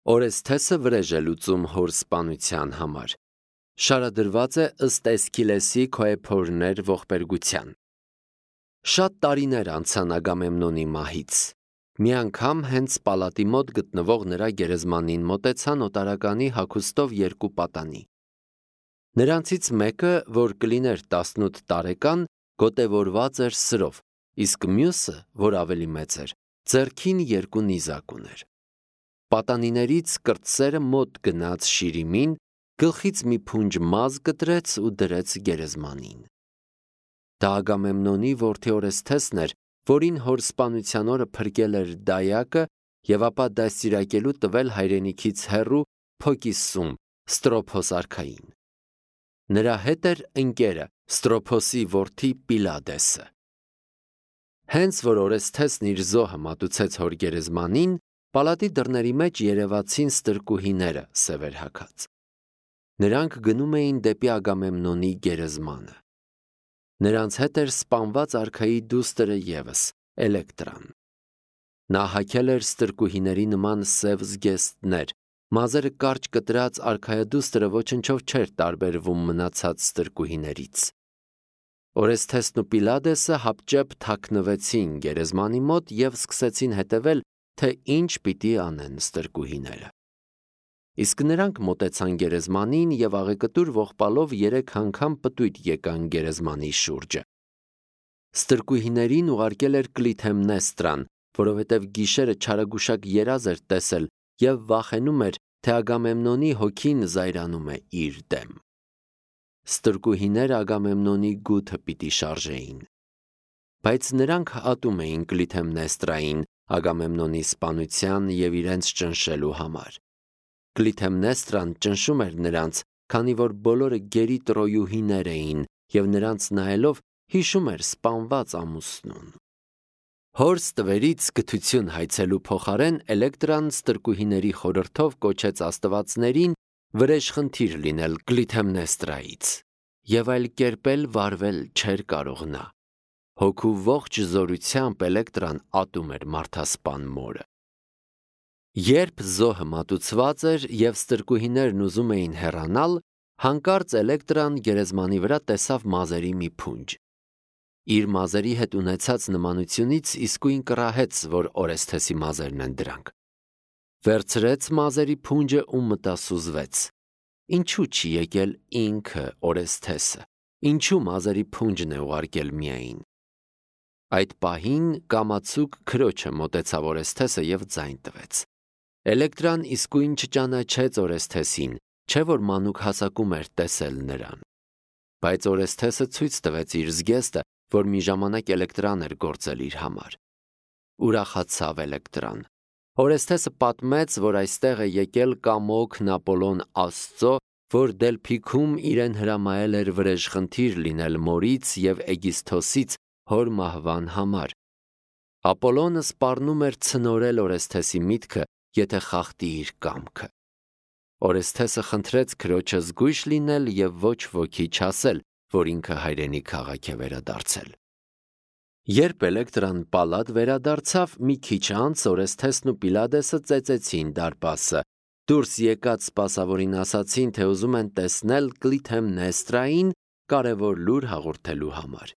Օրեսթեսը վրեժ է լուծում հոր սպանության համար։ Շարադրված է ըստ Էսքիլեսի քոեփորներ ողբերգության։ Շատ տարիներ անցան Ագամեմնոնի մահից։ Մի անգամ հենց պալատի մոտ գտնվող նրա գերեզմանին մոտեցան օտարականի հագուստով երկու պատանի։ Նրանցից մեկը, որ կլիներ 18 տարեկան, գոտևորված էր սրով, իսկ մյուսը, որ ավելի մեծ էր, ձեռքին երկու նիզակ ուներ։ Պատանիներից կրտսերը մոտ գնաց Շիրիմին, գլխից մի փունջ մազ կտրեց ու դրեց գերեզմանին։ Դա Ագամեմնոնի որդի Օրեսթեսն էր, որին հոր սպանության օրը փրկել էր դայակը եւ ապա դաստիարակելու տվել հայրենիքից հեռու Փոկիսում Ստրոփոս արքային։ Նրա հետ էր ընկերը Ստրոփոսի որդի Պիլադեսը։ Հենց որ Օրեսթեսն իր զոհը մատուցեց հոր գերեզմանին, պալատի դռների մեջ երևացին ստրկուհիները սևեր հագած։ Նրանք գնում էին դեպի Ագամեմնոնի գերեզմանը։ Նրանց հետ էր սպանված արքայի դուստրը ևս, Էլեկտրան։ Նա հագել էր ստրկուհիների նման սև զգեստներ, մազերը կարճ կտրած արքայադուստրը ոչնչով չէր տարբերվում մնացած ստրկուհիներից։ Օրեսթեսն ու Պիլադեսը հապճեպ թաքնվեցին գերեզմանի մոտ և սկսեցին հետևել, թե ինչ պիտի անեն ստրկուհիները։ Իսկ նրանք մոտեցան գերեզմանին և աղեկտուր ողբալով 3 անգամ պտույտ եկան գերեզմանի շուրջը։ Ստրկուհիներին ուղարկել էր Կլիթեմնեստրան, որովհետև գիշերը չարագուշակ երազ էր տեսել և վախենում էր, թե Ագամեմնոնի հոգին զայրանում է իր դեմ։ Ստրկուհիները Ագամեմնոնի գութը պիտի շարժեին։ Բայց նրանք ատում էին Կլիթեմնեստրային Ագամեմնոնի սպանության և իրենց ճնշելու համար։ Կլիթեմնեստրան ճնշում էր նրանց, քանի որ բոլորը գերի տրոյուհիներ էին և նրանց նայելով հիշում էր սպանված ամուսնուն։ Հոր ստվերից գթություն հայցելու փոխարեն Էլեկտրան ստրկուհիների խորհրդով կոչեց աստվածներին վրեժխնդիր լինել Կլիթեմնեստրայից, և այլ կերպ էլ վարվել չէր կարող նա։ Հոգու ողջ զորությամբ Էլեկտրան ատում էր մարդասպան մորը։ Երբ զոհը մատուցված էր և ստրկուհիներն ուզում էին հեռանալ, հանկարծ Էլեկտրան գերեզմանի վրա տեսավ մազերի մի փունջ։ Իր մազերի հետ ունեցած նմանությունից իսկույն կռահեց, որ Օրեսթեսի մազերն են դրանք։ Վերցրեց մազերի փունջը ու մտասուզվեց։ Ինչու չի եկել ինքը Օրեսթեսը, ինչու մազերի փունջն է ուղարկել միայն։ Այդ պահին կամացուկ քրոջը մոտեցավ Օրեսթեսը և ձայն տվեց։ Էլեկտրան իսկույն չճանաչեց Օրեսթեսին, չէ որ մանուկ հասակում էր տեսել նրան։ Բայց Օրեսթեսը ցույց տվեց իր զգեստը, որ մի ժամանակ Էլեկտրան էր գործել իր համար։ Ուրախացավ Էլեկտրան։ Օրեսթեսը պատմեց, որ այստեղ է եկել կամոքն Ապոլոն Աստծո, որ Դելփիքում իրեն հրամայել էր վրեժխնդիր լինել մորից և Էգիսթոսից հոր մահվան համար։ Ապոլոնը սպառնում էր ցնորել Օրեսթեսի միտքը, եթե խախտի իր կամքը։ Օրեսթեսը խնդրեց քրոջը զգույշ լինել և ոչ ոքի չասել, որ ինքը հայրենի քաղաք է վերադարձել։ Երբ Էլեկտրան պալատ վերադարձավ, մի քիչ անց Օրեսթեսն ու Պիլադեսը ծեծեցին դարպասը, դուրս եկած սպասավորին ասացին, թե ուզում են տեսնել Կլիթեմնեստրային կարևոր լուր հաղորդելու համար։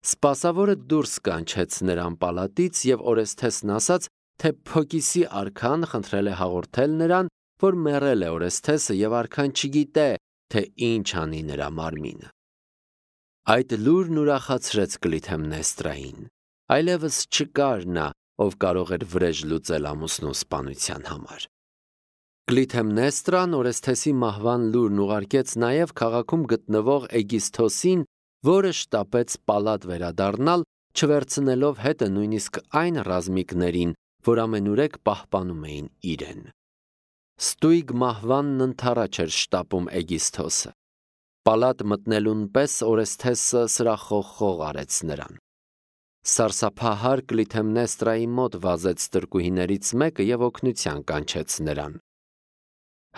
Սպասավորը դուրս կանչեց նրան պալատից և Օրեսթեսն ասաց, թե Փոկիսի արքան խնդրել է հաղորդել նրան, որ մեռել է Օրեսթեսը և արքան չգիտե, թե ինչ անի նրա մարմինը։ Այդ լուրն ուրախացրեց Կլիթեմնեստրային, այլևս չկար նա, ով կարող էր վրեժ լուծել ամուսնու սպանության համար։ Կլիթեմնեստրան Օրեսթեսի մահվան լուրն ուղարկեց նաև քաղաքում գտնվող Էգիսթոսին, որը շտապեց պալատ վերադառնալ, չվերցնելով հետը նույնիսկ այն ռազմիկներին, որ ամենուրեք պահպանում էին իրեն։ Ստույգ մահվանն ընդառաջ էր շտապում Էգիսթոսը։ Պալատ մտնելուն պես Օրեսթեսը սրախողխող արեց նրան։ Սարսափահար Կլիթեմնեստրայի մոտ վազեց ստրկուհիներից մեկը և օգնության կանչեց նրան։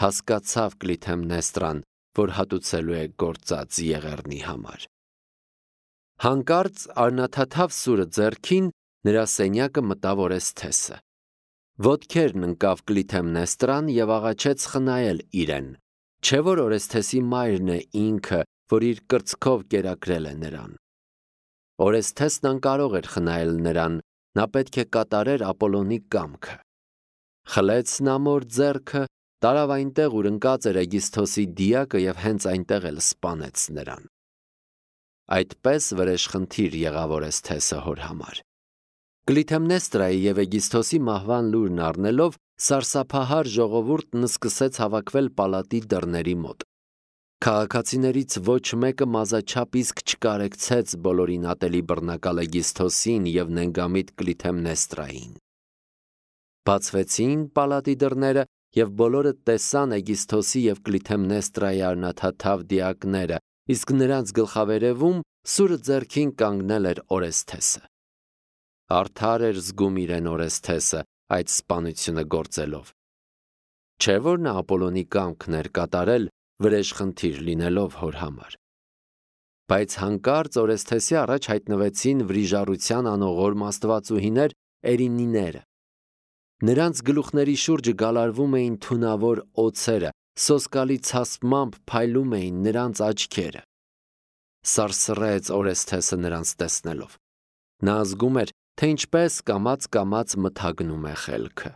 Հասկացավ Կլիթեմնեստրան, որ հատուցելու է գործած եղեռնի համար։ Հանկարծ արնաթաթավ սուրը ձեռքին նրա սենյակը մտավ Օրեսթեսը։ Ոտքերն ընկավ Կլիթեմնեստրան և աղաչեց խնայել իրեն, չէ՞ որ Օրեսթեսի մայրն է ինքը, որ իր կրծքով կերակրել է նրան։ Օրեսթեսն անկարող էր խնայել նրան, նա պետք է կատարեր Ապոլոնի կամքը։ Խլեց նա մոր ձեռքը, տարավ այնտեղ, ուր ընկած էր Էգիսթոսի դիակը և հենց այնտեղ էլ սպանեց նրան։ Այդպես վրեժխնդիր եղավ Օրեսթեսը հոր համար։ Կլիթեմնեստրայի և Էգիսթոսի մահվան լուրն առնելով, սարսափահար ժողովուրդն սկսեց հավաքվել պալատի դռների մոտ։ Քաղաքացիներից ոչ մեկը մազաչափ իսկ չկարեկցեց բոլորին ատելի բռնակալ Էգիսթոսին և նենգամիտ Կլիթեմնեստրային։ Բացվեցին պալատի դռները, և բոլորը տեսան Էգիսթոսի և Կլիթեմնեստրայի արնաթաթավ դիակները, իսկ նրանց գլխավերևում սուրը ձեռքին կանգնել էր Օրեսթեսը։ Արդար էր զգում իրեն Օրեսթեսը այդ սպանությունը գործելով։ Չէ՞ որ նա Ապոլոնի կամքն էր կատարել, վրեժխնդիր լինելով հոր համար։ Բայց հանկարծ Օրեսթեսի առաջ հայտնվեցին վրիժառության անողորմ աստվածուհիներ Էրինիները։ Նրանց գլուխների շուրջը գալարվում էին թունավոր օձերը, սոսկալի ցասպմամբ փայլում էին նրանց աչքերը։ Սարսռեց Օրեսթեսը նրանց տեսնելով։ Նա զգում էր, թե ինչպես կամաց մթագնում է խելքը։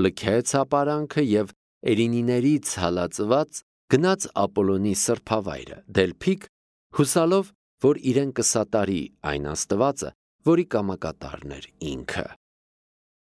Լքեց ապարանքը և Էրինիներից հալածված գնաց Ապոլոնի սրբավայրը, Դելփիկ, հուսալով, որ իրեն կսատարի այն աստվածը, որի կամակատարն էր ինքը։